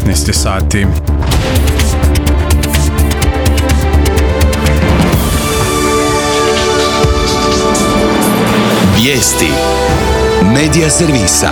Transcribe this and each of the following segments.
19 sati. Vijesti Medija servisa.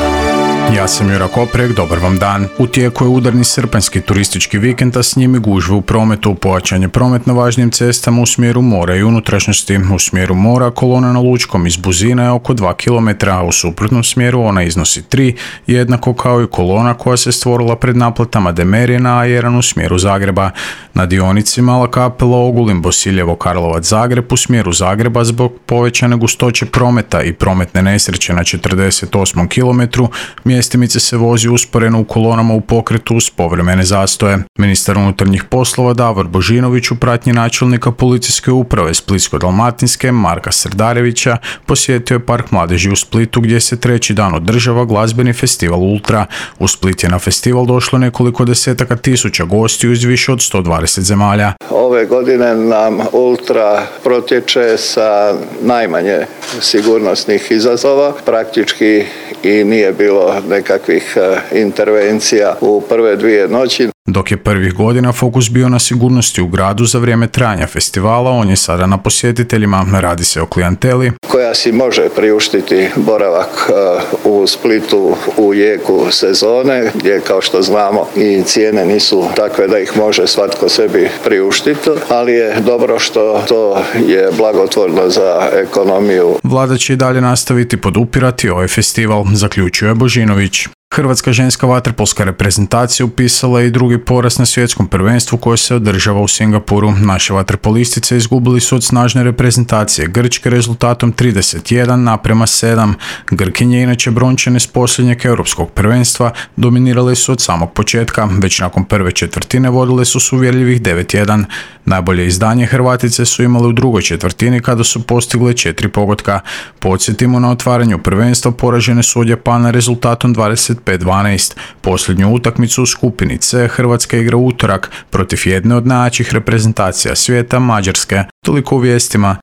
Ja sam Jura Koprek, dobar vam dan. U tijeku je udarni srpanjski turistički vikend, a s njime gužve u prometu. Pojačan je promet na važnijim cestama u smjeru mora i unutrašnjosti. U smjeru mora kolona na Lučkom iz Buzina je oko 2 km, a u suprotnom smjeru ona iznosi 3, jednako kao i kolona koja se stvorila pred naplatama Demerije na A1 u smjeru Zagreba. Na dionici Mala Kapela, Ogulin, Bosiljevo, Karlovac, Zagreb u smjeru Zagreba zbog povećane gustoće prometa i prometne nesreće na 48 km, mjestimice se vozi usporeno u kolonama u pokretu uz povremene zastoje. Ministar unutarnjih poslova Davor Božinović u pratnji načelnika policijske uprave Splitsko-dalmatinske Marka Srdarevića posjetio je Park mladeži u Splitu gdje se treći dan održava glazbeni festival Ultra. U Split je na festival došlo nekoliko desetaka tisuća gostiju iz više od 120 zemalja. Ove godine nam Ultra protječe sa najmanje sigurnosnih izazova. Praktički i nije bilo nekakvih intervencija u prve 2 noći. Dok je prvih godina fokus bio na sigurnosti u gradu za vrijeme trajanja festivala, on je sada na posjetiteljima. Radi se o klijenteli koja si može priuštiti boravak u Splitu u jeku sezone, gdje kao što znamo i cijene nisu takve da ih može svatko sebi priuštiti, ali je dobro što to je blagotvorno za ekonomiju. Vlada će i dalje nastaviti podupirati ovaj festival, zaključuje Božinović. Hrvatska ženska vaterpolska reprezentacija upisala je i drugi poraz na svjetskom prvenstvu koje se održava u Singapuru. Naše vaterpolistice izgubili su od snažne reprezentacije Grčke rezultatom 31:7. Grkinje, inače brončane s posljednjeg europskog prvenstva, dominirale su od samog početka. Već nakon prve četvrtine vodile su s uvjerljivih 9:1. Najbolje izdanje Hrvatice su imale u drugoj četvrtini kada su postigle 4 pogotka. Podsjetimo, na otvaranju prvenstva poražene su od Japana rezultatom 25:12. Posljednju utakmicu u skupini C Hrvatska igra utorak protiv jedne od najjačih reprezentacija svijeta, Mađarske. Toliko u vijestima.